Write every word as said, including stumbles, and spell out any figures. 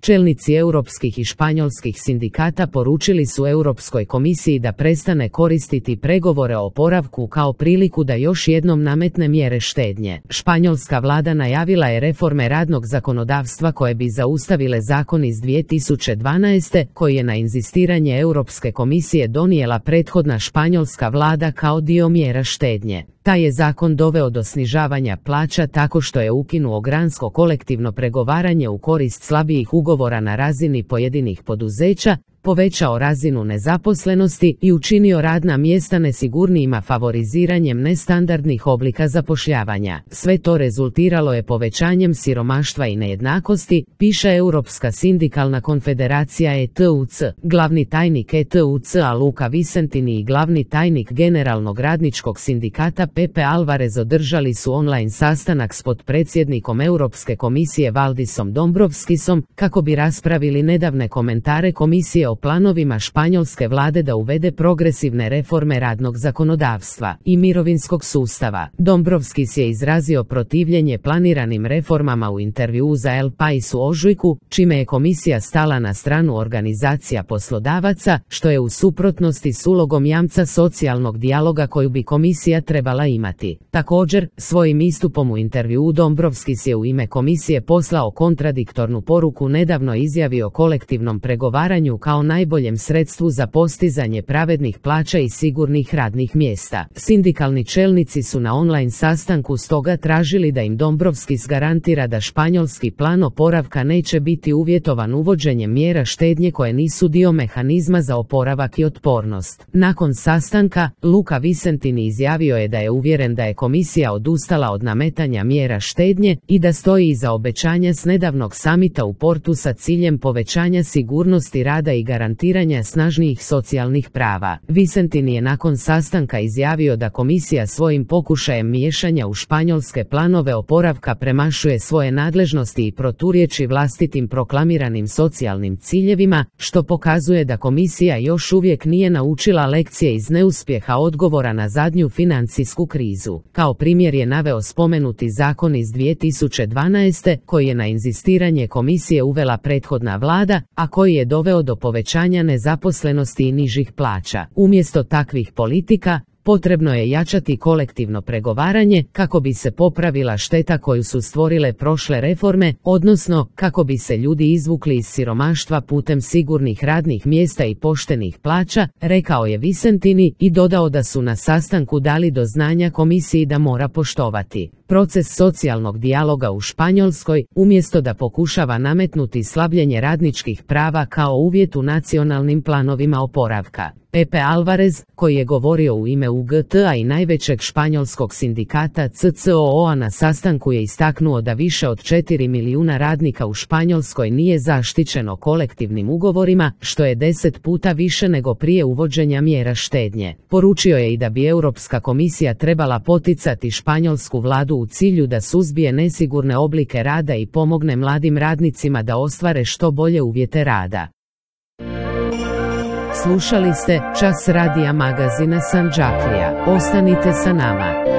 čelnici europskih i španjolskih sindikata poručili su Europskoj komisiji da prestane koristiti pregovore o oporavku kao priliku da još jednom nametne mjere štednje. Španjolska vlada najavila je reforme radnog zakonodavstva koje bi zaustavile zakon iz dvije tisuće dvanaeste, koji je na inzistiranje Europske komisije donijela prethodna španjolska vlada kao dio mjera štednje. Taj je zakon doveo do snižavanja plaća tako što je ukinuo gransko kolektivno pregovaranje u korist slabijih ugovora na razini pojedinih poduzeća, povećao razinu nezaposlenosti i učinio radna mjesta nesigurnijima favoriziranjem nestandardnih oblika zapošljavanja. Sve to rezultiralo je povećanjem siromaštva i nejednakosti, piše Europska sindikalna konfederacija E T U C. Glavni tajnik E T U C-a Luka Vicentini i glavni tajnik Generalnog radničkog sindikata Pepe Alvarez održali su online sastanak s potpredsjednikom Europske komisije Valdisom Dombrovskisom kako bi raspravili nedavne komentare komisije o planovima španjolske vlade da uvede progresivne reforme radnog zakonodavstva i mirovinskog sustava. Dombrovskis je izrazio protivljenje planiranim reformama u intervjuu za El País u ožujku, čime je komisija stala na stranu organizacija poslodavaca, što je u suprotnosti s ulogom jamca socijalnog dijaloga koju bi komisija trebala imati. Također, svojim istupom u intervjuu Dombrovskis je u ime komisije poslao kontradiktornu poruku nedavno izjavi o kolektivnom pregovaranju kao najboljem sredstvu za postizanje pravednih plaća i sigurnih radnih mjesta. Sindikalni čelnici su na online sastanku stoga tražili da im Dombrovskis garantira da španjolski plan oporavka neće biti uvjetovan uvođenjem mjera štednje koje nisu dio mehanizma za oporavak i otpornost. Nakon sastanka, Luka Vicentini izjavio je da je uvjeren da je komisija odustala od nametanja mjera štednje i da stoji iza obećanja s nedavnog samita u Portu sa ciljem povećanja sigurnosti rada i garantiranja snažnijih socijalnih prava. Vicentini je nakon sastanka izjavio da komisija svojim pokušajem miješanja u španjolske planove oporavka premašuje svoje nadležnosti i proturječi vlastitim proklamiranim socijalnim ciljevima, što pokazuje da komisija još uvijek nije naučila lekcije iz neuspjeha odgovora na zadnju financijsku krizu. Kao primjer je naveo spomenuti zakon iz dvije tisuće dvanaeste, koji je na inzistiranje komisije uvela prethodna vlada, a koji je doveo do povećanja nezaposlenosti i nižih plaća. Umjesto takvih politika, potrebno je jačati kolektivno pregovaranje kako bi se popravila šteta koju su stvorile prošle reforme, odnosno kako bi se ljudi izvukli iz siromaštva putem sigurnih radnih mjesta i poštenih plaća, rekao je Vicentini i dodao da su na sastanku dali do znanja komisiji da mora poštovati proces socijalnog dijaloga u Španjolskoj, umjesto da pokušava nametnuti slabljenje radničkih prava kao uvjet u nacionalnim planovima oporavka. Pepe Alvarez, koji je govorio u ime U G T-a i najvećeg španjolskog sindikata C C O O-a na sastanku je istaknuo da više od četiri milijuna radnika u Španjolskoj nije zaštićeno kolektivnim ugovorima, što je deset puta više nego prije uvođenja mjera štednje. Poručio je i da bi Europska komisija trebala poticati španjolsku vladu u cilju da suzbije nesigurne oblike rada i pomogne mladim radnicima da ostvare što bolje uvjete rada. Slušali ste Čas radija magazina Sandžaklija. Ostanite sa nama.